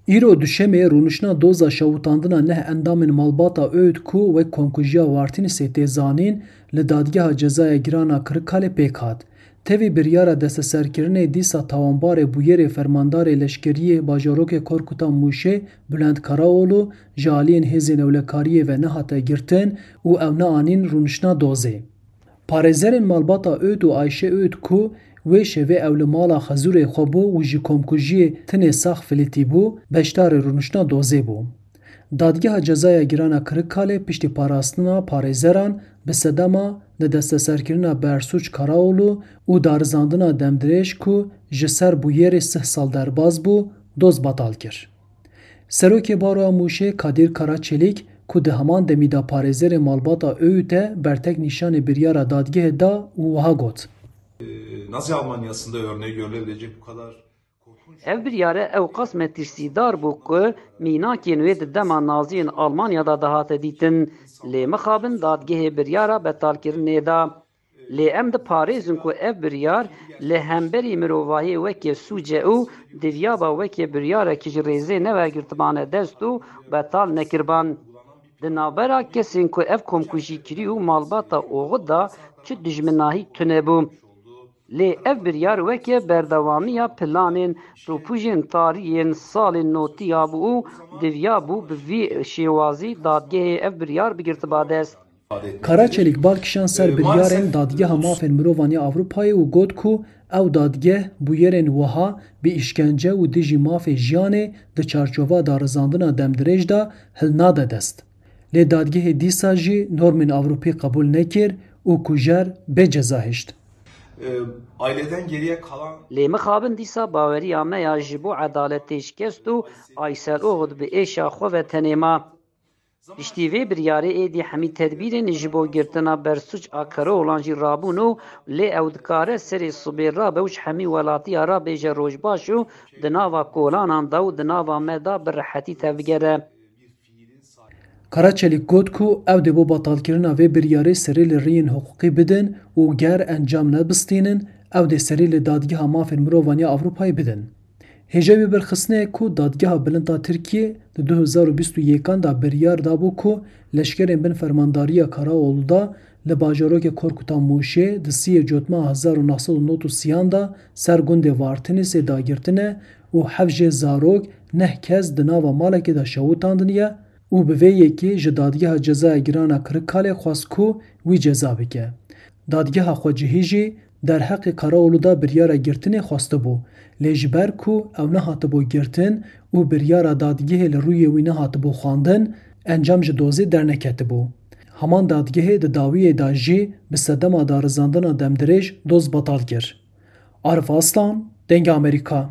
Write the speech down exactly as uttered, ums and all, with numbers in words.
Îro duşemê rûniştina doza şewitandina neh endamên malbata Öğüt ku wek komkujiya Vartînisê tê zanîn, li Dadgeha Cezaya Giran a Kirikalê pêk hat. Tevî biryara desteserkirinê dîsa tawanbarê bûyerê fermandarê leşkeriyê bajarokê Korkuta Mûşê Bülent Karaoğlu ji aliyên hêzên ewlekariyê ve nehate girtin û ew neanîn rûniştina dozê. Parêzerên malbata Öğüt û Ayşe Öğüt ku wê şevê ew li mala xezûrê xwe bû û ji komkujiyê tinê sax filîtî bû, beşdarê rûniştina dozê bû. Dadgeha Cezaya Giran a Kirikalê piştî parastina parêzeran bi sedema li desteserkirina Bersûc Karaoğlu û darizandina demdirêj ku ji ser bûyerê sih sal derbas bû, doz betal kir. Serokê Baroya Mûşê Kadîr Karaçelîk ku di heman demî de parêzerê malbata Öğüt e, bertek nîşanê biryara dadgehê da û wiha got. Nazi Almanya'sında örneği görülebilecek bu kadar korkunç Ev biryare ewqas metirsîdar bû ku mînakên wê di dema Naziyên Almanya de dihate dîtin. Lê mixabin dadgehê biryara betalkirinê da. Lê em diparêzin ku ev biryar li hemberî mirovahiyê weke sûc e û diviyaba weke biryarekî ji rêzê nevergirtibane dest û betal nekiriban. Di navbera kesên ku ev komkujî kirî û malbata Oxud da çi dijminahî tune bû. Lê ev biryar weke berdewamiya planên topûjên tarî yên salên notî ya bû û diviya bû bi vî şêwazî dadgehê ev biryar bigirtiba dest. Karaçelîk bal kişand ser biryarên Dadgeha Mafên Mirovan ya Ewropayê û got ku ew dadgeh bûyerên wiha bi îşkence û dijî mafê jiyanê di çarçova darizandina demdirêj de hilnade dest. Lê dadgehê dîsa jî normên Ewropî qebûl nekir û kujer bê ceza hişt. E, aileden geriye kalan Lê mixabin dîsa baweriya me ya ji bo edaletê şikest û Aysel Oxud bi êşa xwe ve tenê ma. Piştî vê biryarê êdî hemî tedbîrên ji bo girtina Bersûc a Karaoğlan jî rabûn û lê ew dikare serê sibê rabe û ji hemî welatiya ra bêje rojbaş û di nava kolanan de û di nava me de bi rehetî tevbigere. Karaçelîk got ku ew dê bo betalkirina vê biryarê serî li riyên hiqûqî bidin û ger encam nebistînin, ew dê serî li Dadgeha Mafên Mirovan ya Ewropayê bidin. Hêja wê birxistinê ye ku Dadgeha Bilind a Tirkiyê di du hezar û bîst û yekan de biryar dabû ku leşkerên bin fermandariya Karaoğlu da li bajarokê Korkuta Mûşê di siyê Cotmeha hezar û neh sed û nod û sî an de ser gundê Vartinisê dagirtine û heft jê zarok, neh kes di nava malekê de şewitandiniye û bi vê yekê ji Dadgeha Cezaya Giran a Kirikalê xwest ku wî ceza bike. Dadgeha xwecihî jî derheqê Karaoğlu de biryara girtinê xwestibû, lê ji ber ku ew nehatibû girtin û biryara dadgehê li rûyê wî nehatibû xwendin, encam ji dozê derneketibû. Heman dadgehê di dawiyê de jî bi sedema darizandina demdirêj doz betal kir. Arif Aslan, Dengê Amerîka.